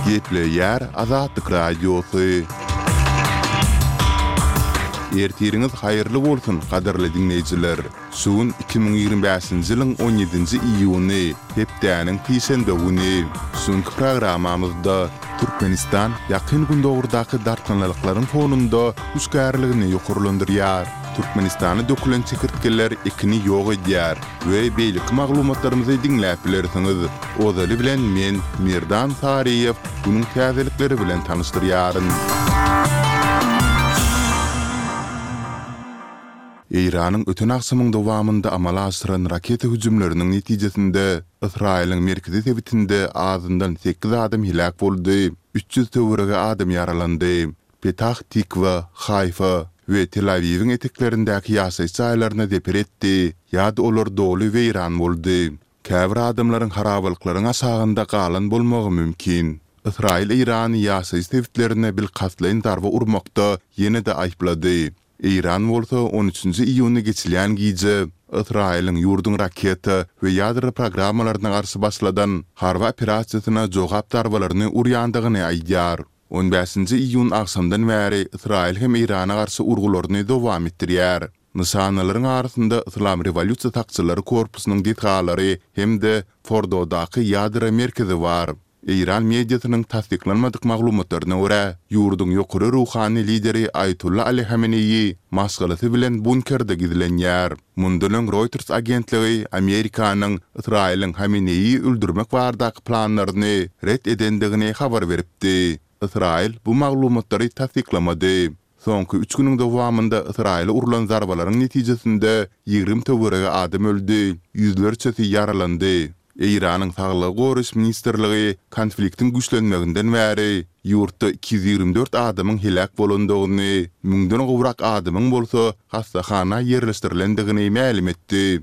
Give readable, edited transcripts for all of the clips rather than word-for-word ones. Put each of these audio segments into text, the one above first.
Gepleýär Azatlyk Radiosy. Ertiriňiz haýyrly bolsun, gadyrly diňleýjiler! Şu gün 2025-nji ýylyň on ýedinji iýuny, hepdäniň sişenbe güni. Şu günki programmamyzda Türkmenistan Ýakyn Gündogardaky dartgynlylyklaryň fonunda hüşgärligini ýokarlandyrýar. Türkmenistana dökülen çekirtgeler ekini ýok edýär we beýleki maglumatlarymyzy diňläp bilersiňiz. Ozaly bilen men, Merdan Saryýew, günüň täzelikleri bilen tanyşdyrýaryn. Eýranyň öten agşamyň dowamynda amala aşyran raketa hüjümleriniň netijesinde Ysraýylyň merkezi sebitinde azyndan sekiz adam heläk boldy, 300 töweregi adam ýaralandy. Petah Tikwa, Haýfa we Tel-Awiwiň eteklerindäki ýaşaýyş jaýlaryna zeper etdi ýa-da olar doly weýran boldy. Käbir adamlaryň harabalyklaryň aşagynda galan bolmagy mümkin. Ysraýyl Eýrany ýaşaýyş sebitlerine bilkastlaýyn zarba urmakda ýene-de aýyplady. Eýran bolsa on üçünji iýunda geçilýän gije Ysraýylyň ýurduň raketa we ýadro programmalaryna garşy başladan harby operasiýasyna jogap zarbalaryny urýandygyny aýdýar. On bäşinji iýun agşamdan bäri Ysraýyl hem Eýrana garşy urgularyny dowam etdirýär. Nyşanalaryň arasynda Yslam rewolýusiýa sakçylary korpusynyň desgalary hem-de Fordodaky ýadro merkezi bar. Eýran mediasynyň tassyklanmadyk maglumatlaryna görä, ýurduň ýokary ruhany lideri Aýatolla Ali Hameneýi maşgalasy bilen bunkerde gizlenýär. Mundan öň Reuters agentligi Amerikanyň Ysraýylyň Hameneýi öldürmek baradaky planlaryny ret edendigini habar beripdi. Ysraýyl bu maglumatlary tassyklamady. Soňky üç günüň dowamynda Ysraýyla urlan zarbalaryň netijesinde 20 töweregi adam öldi, ýüzlerçesi ýaralandy. Eýranyň Saglygy goraýyş ministrligi konfliktiň güýçlenmeginden bäri ýurtda 224 adamyň heläk bolandygyny, müňden gowrak adamyň bolsa hassahana ýerleşdirilendigini mälim etdi.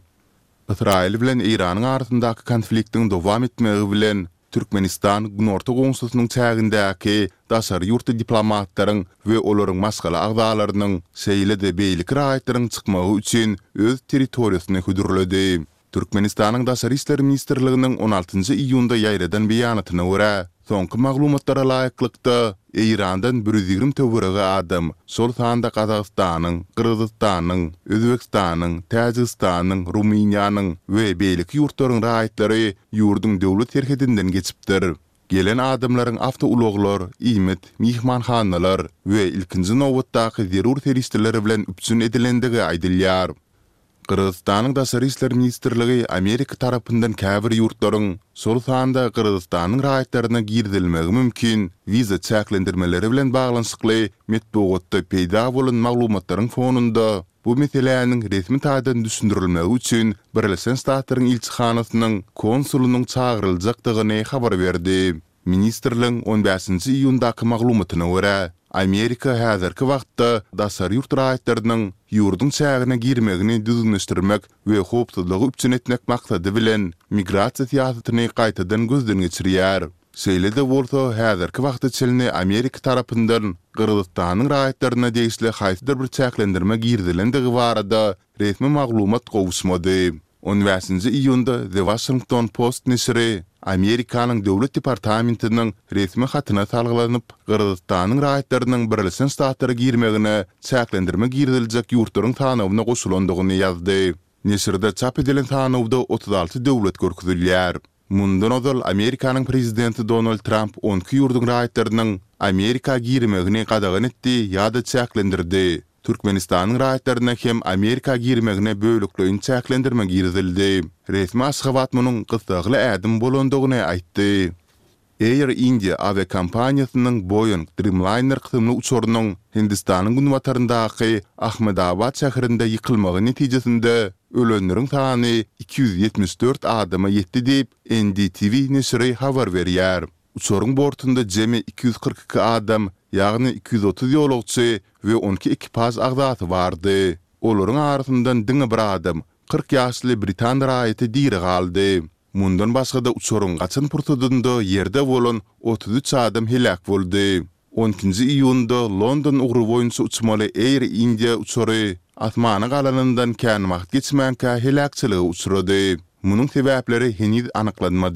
Ysraýyl bilen Eýranyň arasyndaky konfliktiň dowam etmegi bilen, Türkmenistan günorta goňşusynyň çägindäki daşary ýurtly diplomatlaryň we olaryň maşgala agzalarynyň, şeýle-de beýleki raýatlaryň çykmagy üçin öz territoriýasyny hödürledi. Türkmenistanyň Daşary işler ministrliginiň on altynjy iýunda ýaýradan beýanatyna görä, soňky maglumatlara laýyklykda, Eýrandan bir 120 töweregi adam, şol sanda Gazagystanyň, Gyrgyzystanyň, Özbegistanyň, Täjigistanyň, Rumyniýanyň we beýleki ýurtlaryň raýatlary ýurduň döwlet serhedinden geçipdir. Gelen adamlaryň awtoulaglar, iýmit, myhmanhanalar we ilkinji nobatdaky zerur serişdeler bilen üpjün edilendigi aýdylýar. Gyrgyzystanyň Daşary işler ministrligi Amerika tarapyndan käbir ýurtlaryň, şol sanda Gyrgyzystanyň raýatlaryna girizilmegi mümkin wiza çäklendirmeleri bilen baglanyşykly metbugatda peýda bolan maglumatlaryň fonunda bu meseläniň resmi taýdan düşündirilmegi üçin Birleşen Ştatlaryň ilçihanasynyň konsulynyň çagyryljakdygyny habar berdi. Ministrligiň on bäşinji iýundaky maglumatyna görä, Amerika häzirki wagtda daşary ýurt raýatlarynyň ýurduň çägine girmegini düzgünleşdirmek we howpsuzlygy üpjün etmek maksady bilen migrasiýa syýasatyny gaýtadan gözden geçirýär. Şeýle-de bolsa, häzirki wagta çenli Amerika tarapyndan Gyrgyzystanyň raýatlaryna degişli haýsydyr bir çäklendirme girizilendigi barada resmi maglumat gowuşmady. On bäşinji iýunda The Washington Post neşiri Amerikanyň Döwlet departamentiniň resmi hatyna salgylanyp, Gyrgyzystanyň raýatlarynyň Birleşen Ştatlara girmegine çäklendirme giriziljek ýurtlaryň sanawyna goşulandygyny ýazdy. Neşirde çap edilen sanawda 36 döwlet görkezilýär. Mundan ozal Amerikanyň prezidenti Donald Tramp on iki ýurduň raýatlarynyň Amerika girmegini gadagan etdi ýa-da çäklendirdi. Türkmenistanyň raýatlaryna hem Amerika girmegine bölekleýin çäklendirme girizildi. Resmi Aşgabat munuň gyssagly ädim bolandygyny aýtdy. Air India awiakompaniýasynyň Boeing Dreamliner kysymly uçarynyň Hindistanyň günbataryndaky Ahmedabad şäherinde ýykylmagy netijesinde ölenleriň sany 274 adama ýetdi diýip, NDTV neşiri habar berýär. Uçaryň bortunda jemi 242 adam, ýagny 230 ýolagçy we 12 ekipaž agzasy bardy. Olaryň arasyndan diňe bir adam, 40 ýaşly britan raýaty diri galdy. Mundan başga-da uçaryň gaçan pursadynda ýerde bolan 33 adam heläk boldy. On ikinji iýunda London ugry boýunça uçmaly Air India uçary asmana galanyndan kän wagt geçmänkä heläkçilige uçrady. Munuň sebäpleri heniz anyklanmady.